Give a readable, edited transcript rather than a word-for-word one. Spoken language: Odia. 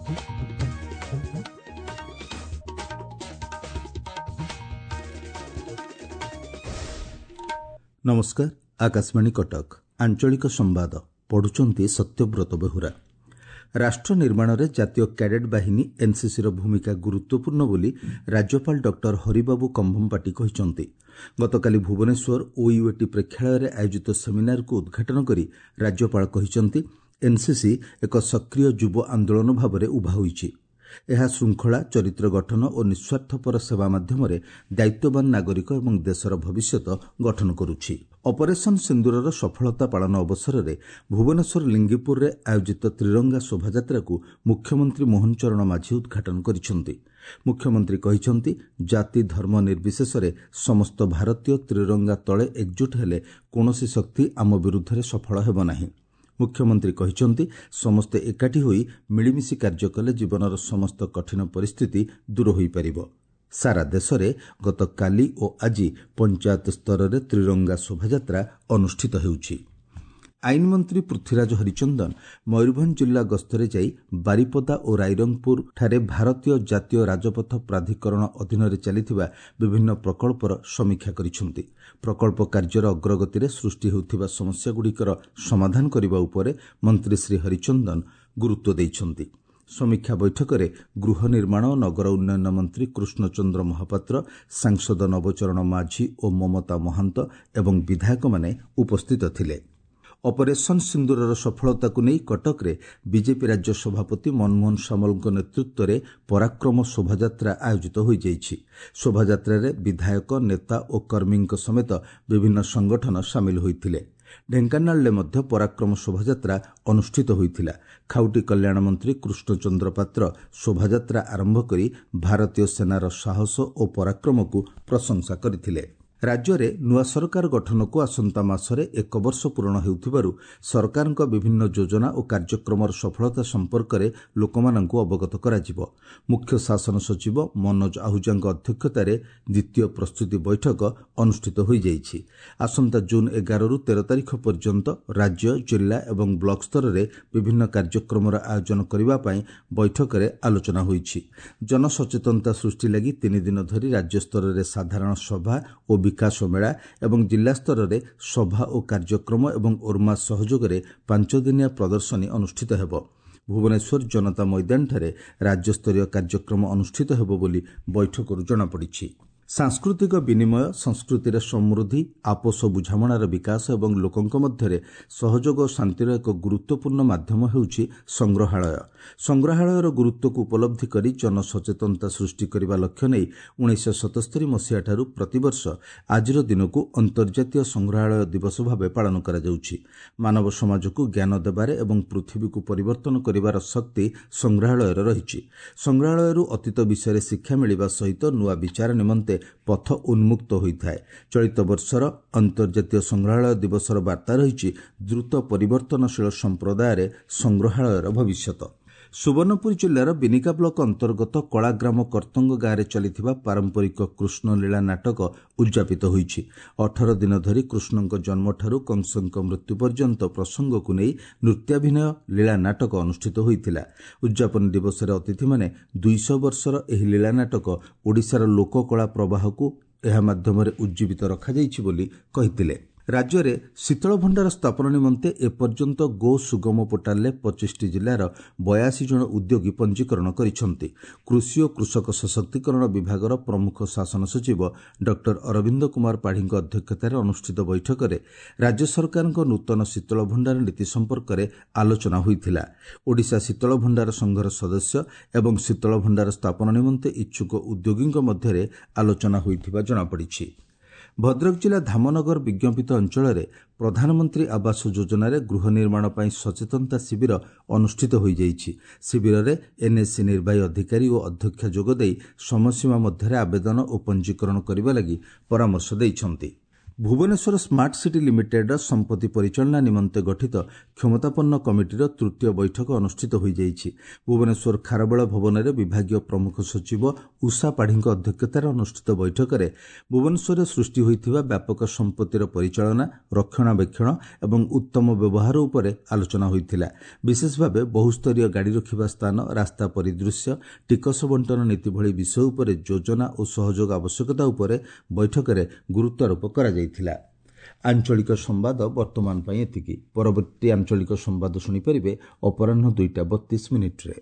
ନମସ୍କାର, ଆକାଶବାଣୀ କଟକ, ଆଞ୍ଚଳିକ ସମ୍ବାଦ ପଢୁଛନ୍ତି ସତ୍ୟବ୍ରତ ବେହୁରା। ରାଷ୍ଟ୍ର ନିର୍ମାଣରେ ଜାତୀୟ କ୍ୟାଡେଟ୍ ବାହିନୀ ଏନ୍ସିସିର ଭୂମିକା ଗୁରୁତ୍ୱପୂର୍ଣ୍ଣ ବୋଲି ରାଜ୍ୟପାଳ ଡକ୍ଟର ହରିବାବୁ କମ୍ଭମପାଟି କହିଛନ୍ତି। ଗତକାଲି ଭୁବନେଶ୍ୱର ଓୟୁଏଟି ପ୍ରେକ୍ଷାଳୟରେ ଆୟୋଜିତ ସେମିନାରକୁ ଉଦ୍ଘାଟନ କରି ରାଜ୍ୟପାଳ କହିଛନ୍ତି, ଏନ୍ସିସି ଏକ ସକ୍ରିୟ ଯୁବ ଆନ୍ଦୋଳନ ଭାବରେ ଉଭା ହୋଇଛି। ଏହା ଶୃଙ୍ଖଳା, ଚରିତ୍ର ଗଠନ ଓ ନିଃସ୍ୱାର୍ଥପର ସେବା ମାଧ୍ୟମରେ ଦାୟିତ୍ୱବାନ ନାଗରିକ ଏବଂ ଦେଶର ଭବିଷ୍ୟତ ଗଠନ କରୁଛି। ଅପରେସନ୍ ସିନ୍ଦୁରର ସଫଳତା ପାଳନ ଅବସରରେ ଭୁବନେଶ୍ୱର ଲିଙ୍ଗିପୁରରେ ଆୟୋଜିତ ତ୍ରିରଙ୍ଗା ଶୋଭାଯାତ୍ରାକୁ ମୁଖ୍ୟମନ୍ତ୍ରୀ ମୋହନ ଚରଣ ମାଝୀ ଉଦ୍ଘାଟନ କରିଛନ୍ତି। ମୁଖ୍ୟମନ୍ତ୍ରୀ କହିଛନ୍ତି, ଜାତି ଧର୍ମ ନିର୍ବିଶେଷରେ ସମସ୍ତ ଭାରତୀୟ ତ୍ରିରଙ୍ଗା ତଳେ ଏକଜୁଟ ହେଲେ କୌଣସି ଶକ୍ତି ଆମ ବିରୁଦ୍ଧରେ ସଫଳ ହେବ ନାହିଁ। ମୁଖ୍ୟମନ୍ତ୍ରୀ କହିଛନ୍ତି, ସମସ୍ତେ ଏକାଠି ହୋଇ ମିଳିମିଶି କାର୍ଯ୍ୟ କଲେ ଜୀବନର ସମସ୍ତ କଠିନ ପରିସ୍ଥିତି ଦୂର ହୋଇପାରିବ। ସାରା ଦେଶରେ ଗତକାଲି ଓ ଆଜି ପଞ୍ଚାୟତ ସ୍ତରରେ ତ୍ରିରଙ୍ଗା ଶୋଭାଯାତ୍ରା ଅନୁଷ୍ଠିତ ହେଉଛି। ଆଇନମନ୍ତ୍ରୀ ପୃଥ୍ୱୀରାଜ ହରିଚନ୍ଦନ ମୟୂରଭଞ୍ଜ ଜିଲ୍ଲା ଗସ୍ତରେ ଯାଇ ବାରିପଦା ଓ ରାଇରଙ୍ଗପୁରଠାରେ ଭାରତୀୟ ଜାତୀୟ ରାଜପଥ ପ୍ରାଧିକରଣ ଅଧୀନରେ ଚାଲିଥିବା ବିଭିନ୍ନ ପ୍ରକଳ୍ପର ସମୀକ୍ଷା କରିଛନ୍ତି। ପ୍ରକଳ୍ପ କାର୍ଯ୍ୟର ଅଗ୍ରଗତିରେ ସୃଷ୍ଟି ହେଉଥିବା ସମସ୍ୟାଗୁଡ଼ିକର ସମାଧାନ କରିବା ଉପରେ ମନ୍ତ୍ରୀ ଶ୍ରୀ ହରିଚନ୍ଦନ ଗୁରୁତ୍ୱ ଦେଇଛନ୍ତି। ସମୀକ୍ଷା ବୈଠକରେ ଗୃହ ନିର୍ମାଣ ଓ ନଗର ଉନ୍ନୟନ ମନ୍ତ୍ରୀ କୃଷ୍ଣଚନ୍ଦ୍ର ମହାପାତ୍ର, ସାଂସଦ ନବଚରଣ ମାଝୀ ଓ ମମତା ମହାନ୍ତ ଏବଂ ବିଧାୟକମାନେ ଉପସ୍ଥିତ ଥିଲେ। ଅପରେସନ୍ ସିନ୍ଦୁରର ସଫଳତାକୁ ନେଇ କଟକରେ ବିଜେପି ରାଜ୍ୟ ସଭାପତି ମନମୋହନ ସାମଲଙ୍କ ନେତୃତ୍ୱରେ ପରାକ୍ରମ ଶୋଭାଯାତ୍ରା ଆୟୋଜିତ ହୋଇଯାଇଛି। ଶୋଭାଯାତ୍ରାରେ ବିଧାୟକ, ନେତା ଓ କର୍ମୀଙ୍କ ସମେତ ବିଭିନ୍ନ ସଂଗଠନ ସାମିଲ ହୋଇଥିଲେ। ଢେଙ୍କାନାଳରେ ମଧ୍ୟ ପରାକ୍ରମ ଶୋଭାଯାତ୍ରା ଅନୁଷ୍ଠିତ ହୋଇଥିଲା। ଖାଉଟି କଲ୍ୟାଣ ମନ୍ତ୍ରୀ କୃଷ୍ଣଚନ୍ଦ୍ର ପାତ୍ର ଶୋଭାଯାତ୍ରା ଆରମ୍ଭ କରି ଭାରତୀୟ ସେନାର ସାହସ ଓ ପରାକ୍ରମକୁ ପ୍ରଶଂସା କରିଥିଲେ। ରାଜ୍ୟରେ ନୂଆ ସରକାର ଗଠନକୁ ଆସନ୍ତା ମାସରେ ଏକ ବର୍ଷ ପୂରଣ ହେଉଥିବାରୁ ସରକାରଙ୍କ ବିଭିନ୍ନ ଯୋଜନା ଓ କାର୍ଯ୍ୟକ୍ରମର ସଫଳତା ସମ୍ପର୍କରେ ଲୋକମାନଙ୍କୁ ଅବଗତ କରାଯିବ। ମୁଖ୍ୟ ଶାସନ ସଚିବ ମନୋଜ ଆହୁଜାଙ୍କ ଅଧ୍ୟକ୍ଷତାରେ ଦ୍ୱିତୀୟ ପ୍ରସ୍ତୁତି ବୈଠକ ଅନୁଷ୍ଠିତ ହୋଇଯାଇଛି। ଆସନ୍ତା ଜୁନ୍ 11ରୁ 13 ତାରିଖ ପର୍ଯ୍ୟନ୍ତ ରାଜ୍ୟ, ଜିଲ୍ଲା ଏବଂ ବ୍ଲକ ସ୍ତରରେ ବିଭିନ୍ନ କାର୍ଯ୍ୟକ୍ରମର ଆୟୋଜନ କରିବା ପାଇଁ ବୈଠକରେ ଆଲୋଚନା ହୋଇଛି। ଜନସଚେତନତା ସୃଷ୍ଟି ଲାଗି 3 ଦିନ ଧରି ରାଜ୍ୟସ୍ତରରେ ସାଧାରଣ ସଭା ଓ ବିକାଶ ମେଳା ଏବଂ ଜିଲ୍ଲାସ୍ତରରେ ସଭା ଓ କାର୍ଯ୍ୟକ୍ରମ ଏବଂ ଓର୍ମା ସହଯୋଗରେ 5 ଦିନିଆ ପ୍ରଦର୍ଶନୀ ଅନୁଷ୍ଠିତ ହେବ। ଭୁବନେଶ୍ୱର ଜନତା ମଇଦାନଠାରେ ରାଜ୍ୟସ୍ତରୀୟ କାର୍ଯ୍ୟକ୍ରମ ଅନୁଷ୍ଠିତ ହେବ ବୋଲି ବୈଠକରୁ ଜଣାପଡ଼ିଛି। ସାଂସ୍କୃତିକ ବିନିମୟ, ସଂସ୍କୃତିର ସମୃଦ୍ଧି, ଆପୋଷ ବୁଝାମଣାର ବିକାଶ ଏବଂ ଲୋକଙ୍କ ମଧ୍ୟରେ ସହଯୋଗ ଓ ଶାନ୍ତିର ଏକ ଗୁରୁତ୍ୱପୂର୍ଣ୍ଣ ମାଧ୍ୟମ ହେଉଛି ସଂଗ୍ରହାଳୟ। ସଂଗ୍ରହାଳୟର ଗୁରୁତ୍ୱକୁ ଉପଲବ୍ଧି କରି ଜନସଚେତନତା ସୃଷ୍ଟି କରିବା ଲକ୍ଷ୍ୟ ନେଇ 1977 ମସିହାଠାରୁ ପ୍ରତିବର୍ଷ ଆଜିର ଦିନକୁ ଅନ୍ତର୍ଜାତୀୟ ସଂଗ୍ରହାଳୟ ଦିବସ ଭାବେ ପାଳନ କରାଯାଉଛି। ମାନବ ସମାଜକୁ ଜ୍ଞାନ ଦେବାରେ ଏବଂ ପୃଥିବୀକୁ ପରିବର୍ତ୍ତନ କରିବାର ଶକ୍ତି ସଂଗ୍ରହାଳୟର ରହିଛି। ସଂଗ୍ରହାଳୟରୁ ଅତୀତ ବିଷୟରେ ଶିକ୍ଷା ମିଳିବା ସହିତ ନୂଆ ବିଚାର ନିମନ୍ତେ ପଥ ଉନ୍ମୁକ୍ତ ହୋଇଥାଏ। ଚଳିତ ବର୍ଷର ଅନ୍ତର୍ଜାତୀୟ ସଂଗ୍ରହାଳୟ ଦିବସର ବାର୍ତ୍ତା ରହିଛି, ଦ୍ରୁତ ପରିବର୍ତ୍ତନଶୀଳ ସମ୍ପ୍ରଦାୟରେ ସଂଗ୍ରହାଳୟର ଭବିଷ୍ୟତ। ସୁବର୍ଣ୍ଣପୁର ଜିଲ୍ଲାର ବିନିକା ବ୍ଲକ ଅନ୍ତର୍ଗତ କଳାଗ୍ରାମ କର୍ତ୍ତଙ୍ଗ ଗାଁରେ ଚାଲିଥିବା ପାରମ୍ପରିକ କୃଷ୍ଣଲୀଳା ନାଟକ ଉଦ୍ଯାପିତ ହୋଇଛି। 18 ଦିନ ଧରି କୃଷ୍ଣଙ୍କ ଜନ୍ମଠାରୁ କଂସଙ୍କ ମୃତ୍ୟୁ ପର୍ଯ୍ୟନ୍ତ ପ୍ରସଙ୍ଗକୁ ନେଇ ନୃତ୍ୟାଭିନୟ ଲୀଳା ନାଟକ ଅନୁଷ୍ଠିତ ହୋଇଥିଲା। ଉଦ୍ଯାପନୀ ଦିବସରେ ଅତିଥିମାନେ 200 ବର୍ଷର ଏହି ଲୀଳା ନାଟକ ଓଡ଼ିଶାର ଲୋକକଳା ପ୍ରବାହକୁ ଏହା ମାଧ୍ୟମରେ ଉଜ୍ଜୀବିତ ରଖାଯାଇଛି ବୋଲି କହିଥିଲେ। ରାଜ୍ୟରେ ଶୀତଳ ଭଣ୍ଡାର ସ୍ଥାପନ ନିମନ୍ତେ ଏପର୍ଯ୍ୟନ୍ତ ଗୋ ସୁଗମ ପୋର୍ଟାଲରେ 25ଟି ଜିଲ୍ଲାର 82 ଜଣ ଉଦ୍ୟୋଗୀ ପଞ୍ଜୀକରଣ କରିଛନ୍ତି। କୃଷି ଓ କୃଷକ ସଶକ୍ତିକରଣ ବିଭାଗର ପ୍ରମୁଖ ଶାସନ ସଚିବ ଡକ୍ଟର ଅରବିନ୍ଦ କୁମାର ପାଢ଼ୀଙ୍କ ଅଧ୍ୟକ୍ଷତାରେ ଅନୁଷ୍ଠିତ ବୈଠକରେ ରାଜ୍ୟ ସରକାରଙ୍କ ନୂତନ ଶୀତଳ ଭଣ୍ଡାର ନୀତି ସମ୍ପର୍କରେ ଆଲୋଚନା ହୋଇଥିଲା। ଓଡ଼ିଶା ଶୀତଳ ଭଣ୍ଡାର ସଂଘର ସଦସ୍ୟ ଏବଂ ଶୀତଳ ଭଣ୍ଡାର ସ୍ଥାପନ ନିମନ୍ତେ ଇଚ୍ଛୁକ ଉଦ୍ୟୋଗୀଙ୍କ ମଧ୍ୟରେ ଆଲୋଚନା ହୋଇଥିବା ଜଣାପଡ଼ିଛି। ଭଦ୍ରକ ଜିଲ୍ଲା ଧାମନଗର ବିଜ୍ଞପିତ ଅଞ୍ଚଳରେ ପ୍ରଧାନମନ୍ତ୍ରୀ ଆବାସ ଯୋଜନାରେ ଗୃହ ନିର୍ମାଣ ପାଇଁ ସଚେତନତା ଶିବିର ଅନୁଷ୍ଠିତ ହୋଇଯାଇଛି। ଶିବିରରେ ଏନ୍ଏସି ନିର୍ବାହୀ ଅଧିକାରୀ ଓ ଅଧ୍ୟକ୍ଷା ଯୋଗଦେଇ ସମୟସୀମା ମଧ୍ୟରେ ଆବେଦନ ଓ ପଞ୍ଜୀକରଣ କରିବା ଲାଗି ପରାମର୍ଶ ଦେଇଛନ୍ତି। ଭୁବନେଶ୍ୱର ସ୍ମାର୍ଟ ସିଟି ଲିମିଟେଡ୍ର ସମ୍ପତ୍ତି ପରିଚାଳନା ନିମନ୍ତେ ଗଠିତ କ୍ଷମତାପନ୍ନ କମିଟିର ତୃତୀୟ ବୈଠକ ଅନୁଷ୍ଠିତ ହୋଇଯାଇଛି। ଭୁବନେଶ୍ୱର ଖାରବେଳ ଭବନରେ ବିଭାଗୀୟ ପ୍ରମୁଖ ସଚିବ ଉଷା ପାଢ଼ୀଙ୍କ ଅଧ୍ୟକ୍ଷତାରେ ଅନୁଷ୍ଠିତ ବୈଠକରେ ଭୁବନେଶ୍ୱରରେ ସୃଷ୍ଟି ହୋଇଥିବା ବ୍ୟାପକ ସମ୍ପତ୍ତିର ପରିଚାଳନା, ରକ୍ଷଣାବେକ୍ଷଣ ଏବଂ ଉତ୍ତମ ବ୍ୟବହାର ଉପରେ ଆଲୋଚନା ହୋଇଥିଲା। ବିଶେଷ ଭାବେ ବହୁସ୍ତରୀୟ ଗାଡ଼ି ରଖିବା ସ୍ଥାନ, ରାସ୍ତା ପରିଦୃଶ୍ୟ, ଟିକସ ବଣ୍ଟନ ନୀତି ଭଳି ବିଷୟ ଉପରେ ଯୋଜନା ଓ ସହଯୋଗ ଆବଶ୍ୟକତା ଉପରେ ବୈଠକରେ ଗୁରୁତ୍ୱାରୋପ କରାଯାଇଥିଲା। ଆଞ୍ଚଳିକ ସମ୍ବାଦ ବର୍ତ୍ତମାନ ପାଇଁ ଏତିକି। ପରବର୍ତ୍ତୀ ଆଞ୍ଚଳିକ ସମ୍ବାଦ ଶୁଣିପାରିବେ ଅପରାହ୍ନ 2ଟା 32 ମିନିଟ୍ରେ।